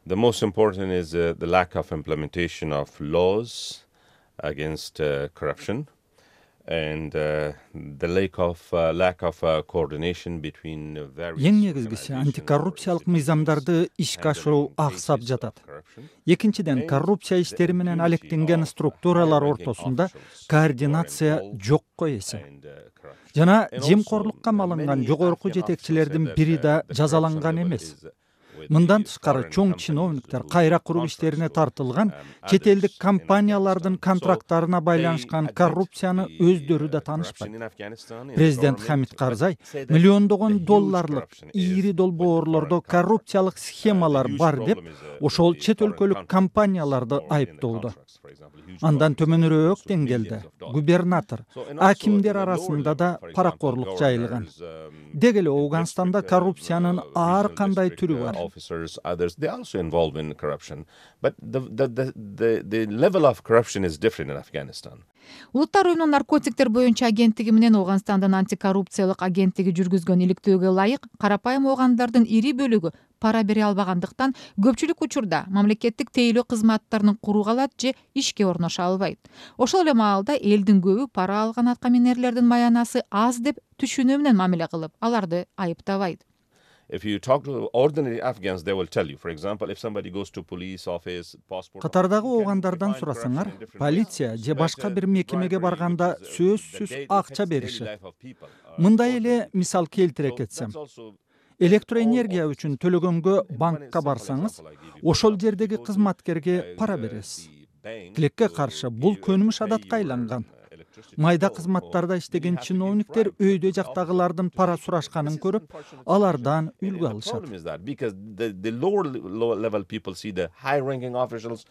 The most important is the lack of implementation of laws against corruption and the lack of coordination between various. Эң негизгиси антикоррупциялык мыйзамдарды ишке ашыруу аксап жатат. Экинчиден, коррупция иштери менен алектенген структуралар ортосунда координация жокко эсе. Жана жемкорлукка малынган жогорку жетекчилердин бири да жазаланган эмес. Мындан тышкары чоң чиновниктер кайра куруу иштерине тартылган чет элдик компаниялардын контракттарына байланышкан коррупцияны өздөрү да таанышпайт. Президент Хамид Карзай миллиондогон долларлык ийри долбоорлордо коррупциялык схемалар бар деп ошол чет өлкөлүк компанияларды айыптоодо. Андан төмөнүрөөк деңгээлде губернатор, акимдер арасында да паракорлук жайылган. Деги эле Ауганстанда коррупциянын ар кандай түрү бар. Others, they are also involved in corruption, but the level of corruption is different in Afghanistan. Улуттар уюмунун наркотиктер боюнча агенттиги менен Ауганстандын антикоррупциялык агенттиги жүргүзгөн иликтөөгө ылайык карапайым оогандардын ири бөлүгү пара бере албагандыктан көпчүлүк учурда мамлекеттик тейлөө кызматтарын куруу калат же ишке орношо албайт. Ошол эле маалда элдин көбү пара алган аткаминерлердин маянасы аз деп түшүнүү менен мамиле кылып, аларды айыптабайт. If you talk to ordinary Afghans, they will tell you, for example, if somebody goes to police office, passport. Катардагы оогандардан сурасаңар, полиция же башка бир мекемеге барганда сөзсүз акча беришет. Мындай эле мисал келтире кетсем, электроэнергия үчүн төлөгөнгө банкка барсаңыз, ошол жердеги кызматкерге пара бересиз. Тилекке каршы бул көнүмүш адатка айланган. Майда кызматтарда иштеген чиновниктер өйдө жактагылардын пара сурашканын көрүп, алардан үлгү алышат. Because the lower level people see the high ranking officials